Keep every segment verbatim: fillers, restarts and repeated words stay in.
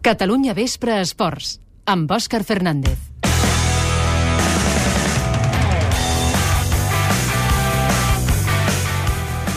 Catalunya Vespre Esports, amb Òscar Fernández.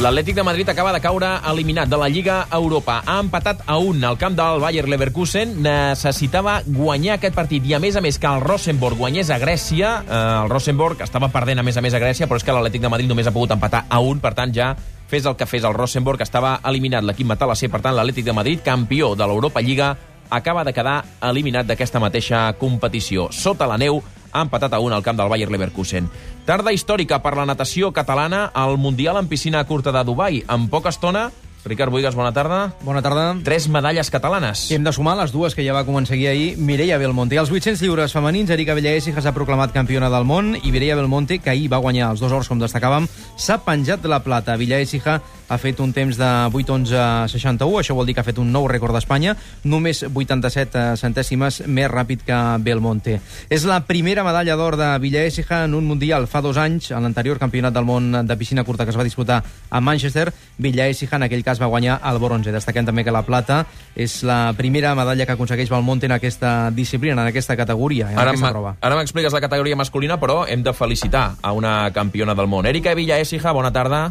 L'Atlètic de Madrid acaba de caure eliminat de la Lliga Europa. Ha empatat a un al camp del Bayer Leverkusen. Necessitava guanyar aquest partit i, a més a més, que el Rosenborg guanyés a Grècia. Eh, el Rosenborg estava perdent, a més a més, a Grècia, però és que l'Atlètic de Madrid només ha pogut empatar a un. Per tant, ja fes el que fes el Rosenborg, estava eliminat l'equip matalasser. Per tant, l'Atlètic de Madrid, campió de l'Europa Lliga, acaba de quedar eliminat d'aquesta mateixa competició. Sota la neu, ha empatat a un al camp del Bayer Leverkusen. Tarda històrica per la natació catalana al Mundial en piscina curta de Dubai. En poca estona, Ricard Boigas, bona tarda. Bona tarda. Tres medalles catalanes. I hem de sumar les dues que ja va aconseguir ahir Mireia Belmonte. Als vuit-cents lliures femenins, Erika Villaécija s'ha proclamat campiona del món i Mireia Belmonte, que ahir va guanyar els dos ors, com destacàvem, s'ha penjat de la plata. Villaécija ha fet un temps de vuit onze seixanta-u, això vol dir que ha fet un nou rècord d'Espanya, només vuitanta-set centèsimes més ràpid que Belmonte. És la primera medalla d'or de Villaécija en un Mundial. Fa dos anys, en l'anterior campionat del món de piscina curta que es va disputar a Manchester, Villaécija en aquell cas va guanyar el bronze. Destaquem també que la plata és la primera medalla que aconsegueix Belmonte en aquesta disciplina, en aquesta categoria, en ara aquesta prova. Ara m'expliques la categoria masculina, però hem de felicitar a una campiona del món. Erika Villaécija, bona tarda.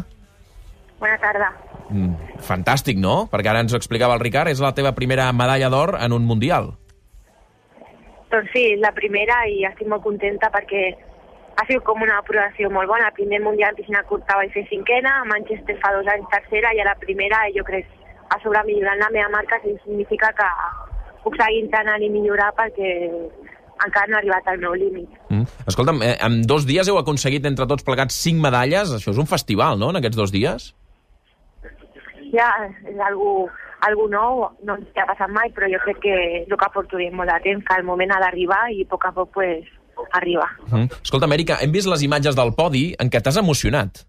Bona tarda. Mm, fantàstic, no? Perquè ara ens ho explicava el Ricard, és la teva primera medalla d'or en un Mundial. Doncs sí, la primera, i estic molt contenta perquè ha sigut com una aprovació molt bona. El primer Mundial en piscina curta vaig fer cinquena, a Manchester fa dos anys tercera, i a la primera jo crec a sobre millorant la meva marca significa que puc seguir entrenant i millorar perquè encara no he arribat al meu límit. Mm. Escolta'm, eh, en dos dies heu aconseguit entre tots plegats cinc medalles. Això és un festival, no?, en aquests dos dies? Ja, és algo, algo nou, no ens ha passat mai, però jo crec que és el que porto molt de temps, que el moment ha d'arribar i a poc a poc pues, arriba. Mm. Escolta'm, Erika, hem vist les imatges del podi en què t'has emocionat.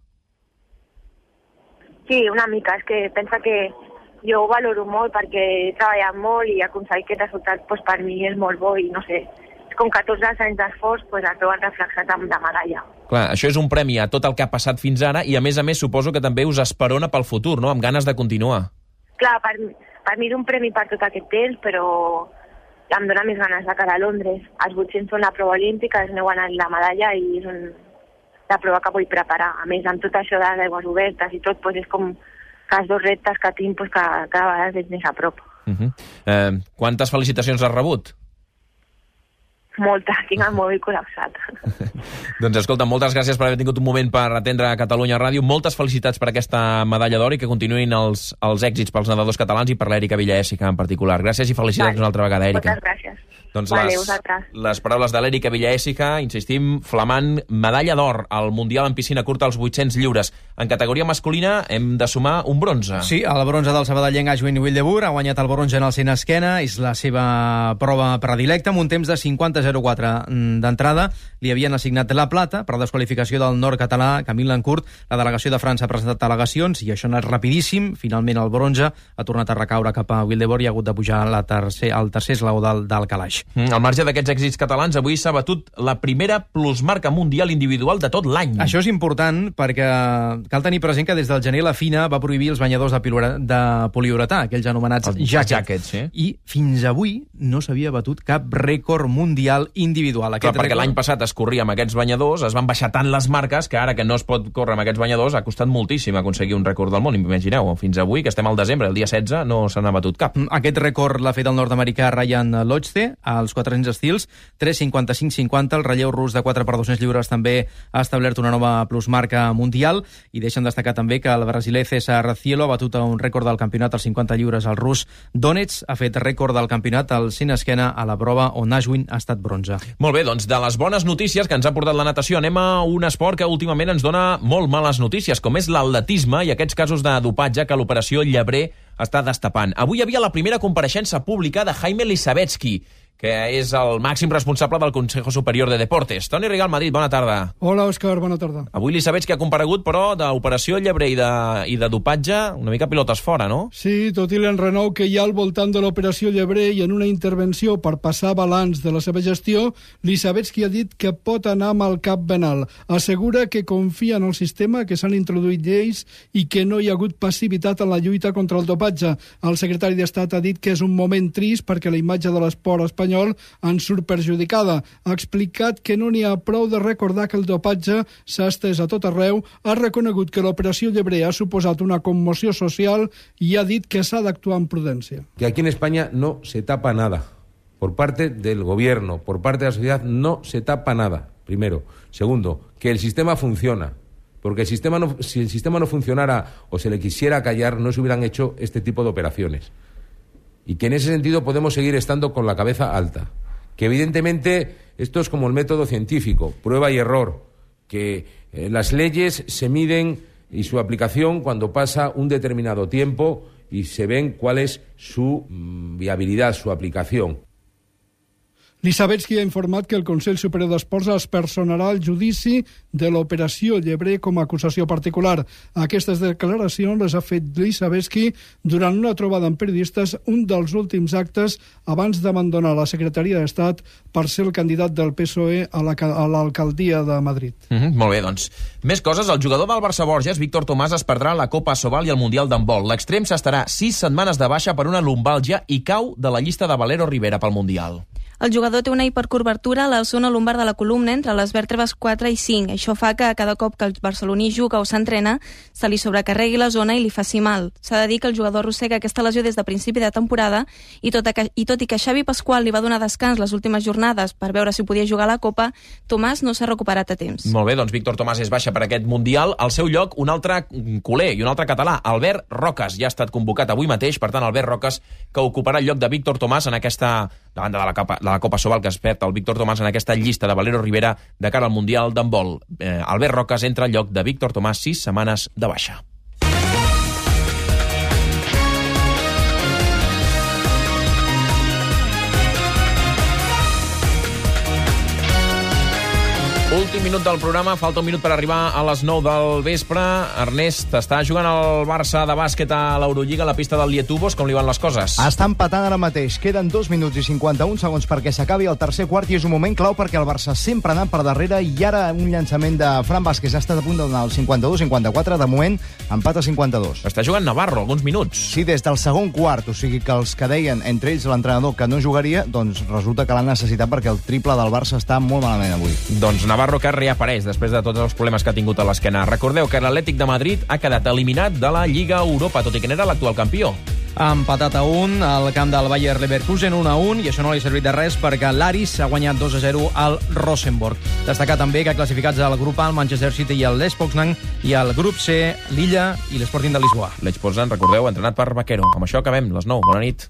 Sí, una mica. És que pensa que jo ho valoro molt perquè he treballat molt i aconseguir aquest resultat pues, per mi és molt bo i no sé, és com que tots els anys d'esforç pues, es veuen reflexats amb la medalla. Clar, això és un premi a tot el que ha passat fins ara i, a més a més, suposo que també us esperona pel futur, no?, amb ganes de continuar. Clar, per, per mi és un premi per tot aquest temps, però em dóna més ganes de cara a Londres. Els vuit-cents són la prova olímpica, és meu guanyar la medalla i és un, la prova que vull preparar. A més, amb tot això de les aigües obertes i tot, pues, és com que els dos reptes que tinc pues, que cada vegada veig més a prop. Uh -huh. eh, quantes felicitacions has rebut? Moltes, tinc el mòbil col·lapsat. Doncs escolta, moltes gràcies per haver tingut un moment per atendre a Catalunya Ràdio. Moltes felicitats per aquesta medalla d'or i que continuïn els, els èxits pels nedadors catalans i per l'Erika Villaécija en particular. Gràcies i felicitats vale. Una altra vegada, Erika. Moltes gràcies. Doncs vale, les, les paraules de l'Erika Villaécija, insistim, flamant medalla d'or al Mundial en piscina curta als vuit-cents lliures. En categoria masculina hem de sumar un bronze. Sí, el bronze del sabadellenc Ashwin Wildeboer ha guanyat el bronze en el cent esquena, és la seva prova predilecta, amb un temps de cinquanta zero quatre d'entrada. Li havien assignat la plata per desqualificació del nord-català Camille Lancourt. La delegació de França ha presentat al·legacions i això ha anat rapidíssim. Finalment el bronze ha tornat a recaure cap a Wildeboer i ha hagut de pujar la tercer, al tercer esglaó del, del calaix. Mm, al marge d'aquests èxits catalans, avui s'ha batut la primera plusmarca mundial individual de tot l'any. Això és important perquè cal tenir present que des del gener la FINA va prohibir els banyadors de, de poliuretà, aquells anomenats els jackets. jackets sí. I fins avui no s'havia batut cap rècord mundial individual. Aquest Clar, perquè rècord... l'any passat es corria amb aquests banyadors, es van baixar tant les marques que ara que no es pot córrer amb aquests banyadors ha costat moltíssim aconseguir un rècord del món. Imagineu, fins avui, que estem al desembre, el dia setze, no se n'ha batut cap. Aquest rècord l'ha fet el nord-americà Ryan Lochte, als quatre-cents estils, tres cinquanta-cinc cinquanta. El relleu rus de quatre per dos-cents lliures també ha establert una nova plusmarca mundial i deixen destacar també que el brasiler César Cielo ha batut un rècord del campionat als cinquanta lliures. El rus Donets ha fet rècord del campionat al cent esquena a la prova on Ashwin ha estat bronze. Molt bé, doncs de les bones notícies que ens ha portat la natació anem a un esport que últimament ens dona molt males notícies, com és l'atletisme i aquests casos de dopatge que l'operació Llebrer està destapant. Avui hi havia la primera compareixença pública de Jaime Lisabetsky, que és el màxim responsable del Consejo Superior de Deportes. Toni Rigal, Madrid, bona tarda. Hola, Òscar, bona tarda. Avui Lisabetsky ha comparegut, però d'operació llebrer i de, i de dopatge, una mica pilotes fora, no? Sí, tot i l'enrenou que hi ha al voltant de l'operació llebrer i en una intervenció per passar balanç de la seva gestió, Lisabetsky ha dit que pot anar amb el cap ben alt. Assegura que confia en el sistema, que s'han introduït lleis i que no hi ha hagut passivitat en la lluita contra el dopatge. El secretari d'Estat ha dit que és un moment trist perquè la imatge de l'esport espanyol en surt perjudicada. Ha explicat que no n'hi ha prou de recordar que el dopatge s'ha estès a tot arreu, ha reconegut que l'operació llebrer ha suposat una commoció social i ha dit que s'ha d'actuar amb prudència. Que aquí en España no se tapa nada. Por parte del gobierno, por parte de la sociedad, no se tapa nada. Primero. Segundo, que el sistema funciona. Porque el sistema no, si el sistema no funcionara o se le quisiera callar, no se hubieran hecho este tipo de operaciones. Y que en ese sentido podemos seguir estando con la cabeza alta. Que evidentemente esto es como el método científico, prueba y error, que eh, las leyes se miden y su aplicación cuando pasa un determinado tiempo y se ven cuál es su mm, viabilidad, su aplicación. Lisabetsky ha informat que el Consell Superior d'Esports es personarà al judici de l'operació llebrer com a acusació particular. Aquestes declaracions les ha fet Lisabetsky durant una trobada amb periodistes, un dels últims actes abans d'abandonar la Secretaria d'Estat per ser el candidat del P S O E a l'alcaldia de Madrid. Mm-hmm, molt bé, doncs. Més coses. El jugador del Barça Borges, Víctor Tomàs, es perdrà la Copa Sobal i el Mundial d'handbol. L'extrem s'estarà sis setmanes de baixa per una lumbàlgia i cau de la llista de Valero Rivera pel Mundial. El jugador té una hipercurvatura a la zona lumbar de la columna entre les vèrtebres quatre i cinc. Això fa que cada cop que el barceloní juga o s'entrena se li sobrecarregui la zona i li faci mal. S'ha de dir que el jugador arrossega aquesta lesió des de principi de temporada i tot, a, i tot i que Xavi Pasqual li va donar descans les últimes jornades per veure si podia jugar a la Copa, Tomàs no s'ha recuperat a temps. Molt bé, doncs Víctor Tomàs és baixa per aquest Mundial. Al seu lloc, un altre culer i un altre català, Albert Roques. Ja ha estat convocat avui mateix, per tant, Albert Roques, que ocuparà el lloc de Víctor Tomàs en aquesta, davant de la Copa, de la Copa Sobal, que es perd el Víctor Tomàs en aquesta llista de Valero Rivera de cara al Mundial d'handbol. Eh, Albert Roques entra al lloc de Víctor Tomàs, sis setmanes de baixa. Últim minut del programa, falta un minut per arribar a les nou del vespre. Ernest, està jugant el Barça de bàsquet a l'Eurolliga, a la pista del Lietuvos. Com li van les coses? Està empatant ara mateix. Queden dos minuts i cinquanta-un segons perquè s'acabi el tercer quart i és un moment clau perquè el Barça sempre ha anat per darrere i ara un llançament de Fran Vázquez ha estat a punt d'anar al cinquanta-dos cinquanta-quatre. De moment, empat a cinquanta-dos. Està jugant Navarro, alguns minuts. Sí, des del segon quart. O sigui que els que deien, entre ells l'entrenador, que no jugaria, doncs resulta que l'han necessitat perquè el triple del Barça està molt malament avui. Doncs Navarro que reapareix després de tots els problemes que ha tingut a l'esquena. Recordeu que l'Atlètic de Madrid ha quedat eliminat de la Lliga Europa, tot i que n'era l'actual campió. Ha empatat a un al camp del Bayer Leverkusen, un a un, i això no li ha servit de res perquè l'Aris ha guanyat dos a zero al Rosenborg. Destacar també que classificats al grup A, el Manchester City i el Lech Poznan, i al grup C, l'Illa i l'Sporting de Lisboa. Lech Poznan, recordeu, entrenat per Vaquero. Amb això acabem, les nou. Bona nit.